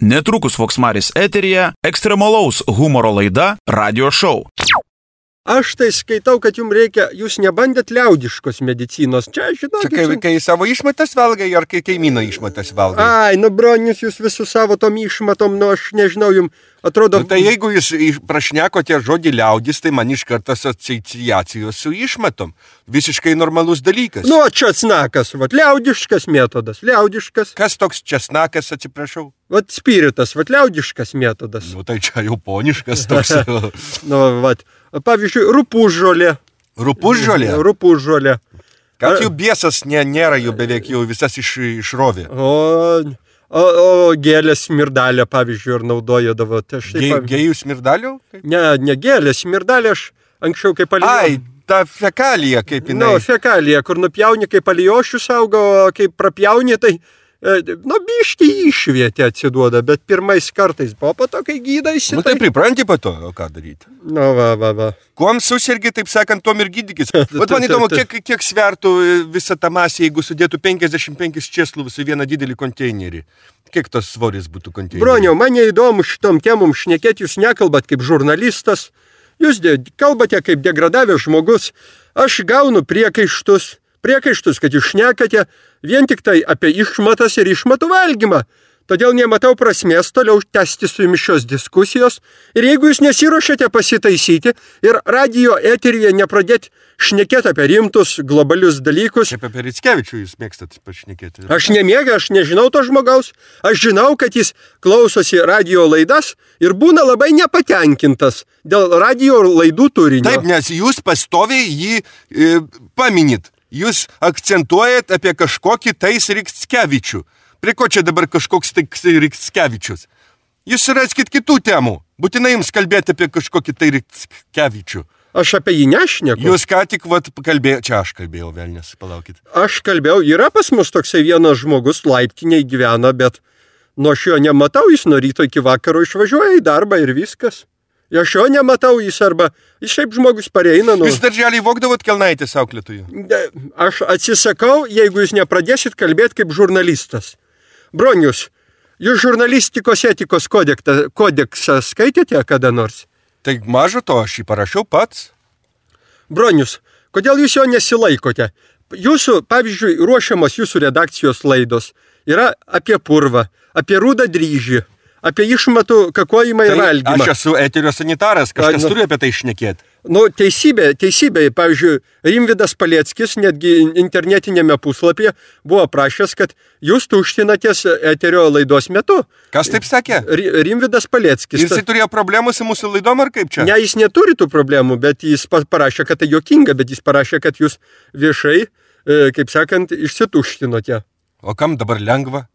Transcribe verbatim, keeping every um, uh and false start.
Netrukus Voksmaris eteryje ekstremalaus humoro laida Radio Show. Aš tai skaitau, kad jums reikia, jūs nebandėt liaudiškos medicinos. Čia, žinokit... Čia kai, kai savo išmatas valgai, ar kai kaimyno išmatas valgai? Ai, nu, bronius, jūs visų savo tom išmatom, nu, aš nežinau, jums atrodo... Nu, tai jeigu jūs prašnekote žodį liaudis, tai man iš karto asociacijos su išmatom. Visiškai normalus dalykas. Nu, česnakas, vat, liaudiškas metodas, liaudiškas. Kas toks česnakas, atsiprašau? Vat, spiritas, vat, liaudiškas metodas. Nu, tai čia jau poniškas toks. Nu, vat. Pavyzdžiui, rupūžžolė. Rupūžžolė? Rupūžžolė. Kad jų biesas nė, nėra, jų beveik jau visas iš, išrovė. O, o, o gėlės smirdalę, pavyzdžiui, ir naudojadavo. Tai Ge, pavyzdžiui... Gėjų smirdalių? Ne, ne gėlės, smirdalė aš anksčiau kaip alijau. Ai, ta fekalija kaip jinai. Nu, fekalija, kur nupjauni kaip alijošius augo, kaip prapjauni, tai... Nu, biškį išvietė atsiduoda, bet pirmais kartais buvo po to, kai gydaisi. Nu, tai pripranti po to, o ką daryti? Nu, va, va, va. Kuom susirgi, taip sakant, tom ir gydykis. Vat man įdomu, kiek, kiek svertų visą tą masę, jeigu sudėtų penkiasdešimt penkis čėsluvus į vieną didelį konteinerį. Kiek tas svoris būtų konteinerį? Broniau, man neįdomu šitom temom šnekėti, jūs nekalbat kaip žurnalistas, jūs kalbate kaip degradavęs žmogus, aš gaunu priekaištus. Priekaištus, kad jūs šnekate vien tik tai apie išmatas ir išmatų valgymą. Todėl nematau prasmės toliau tęsti su jumis šios diskusijos. Ir jeigu jūs nesiruošiate pasitaisyti ir radijo eteryje nepradėti šnekėti apie rimtus globalius dalykus. Kaip apie Rickevičių jūs mėgstat pašnekėti. Aš nemėgau, aš nežinau to žmogaus. Aš žinau, kad jis klausosi radijo laidas ir būna labai nepatenkintas dėl radijo laidų turinio. Taip, nes jūs pastoviai jį e, paminit. Jūs akcentuojat apie kažkokį tais Rickevičių. Prie ko čia dabar kažkoks tais Rickevičius? Jūs raskit kitų temų. Būtinai jums kalbėti apie kažkokį tai Rickevičių. Aš apie jį nešneku. Jūs ką tik vat kalbėjau, čia aš kalbėjau, velnės, palaukit. Aš kalbėjau, yra pas mus toksai vienas žmogus, laiptiniai gyvena, bet nuo šio nematau, jis nuo ryto iki vakaro išvažiuoja į darbą ir viskas. Aš jo nematau, jis arba, jis šiaip žmogus pareina. Nu... Jūs darželį vogdavot kelnaitės auklėtojų? Aš atsisakau, jeigu jūs nepradėsit kalbėti kaip žurnalistas. Bronius, jūs žurnalistikos etikos kodeksą, kodeksą skaitėte kada nors? Tai maža to, aš jį parašiau pats. Bronius, kodėl jūs jo nesilaikote? Jūsų, pavyzdžiui, ruošiamas jūsų redakcijos laidos yra apie purvą, apie rudą dryžį. Apie išmatų kakojimą ir valgymą. Aš esu eterio sanitaras, kažkas nu, turi apie tai šnekėti. Nu, teisybė, teisybė. Pavyzdžiui, Rimvydas Paleckis netgi internetinėme puslapyje buvo prašęs, kad jūs tuštinatės eterio laidos metu. Kas taip sakė? Rimvydas Paleckis. Jis turėjo problemų su mūsų laidom ar kaip čia? Ne, jis neturi tų problemų, bet jis parašė, kad tai juokinga, bet jis parašė, kad jūs viešai, kaip sakant, išsituštinote. O kam dabar lengva?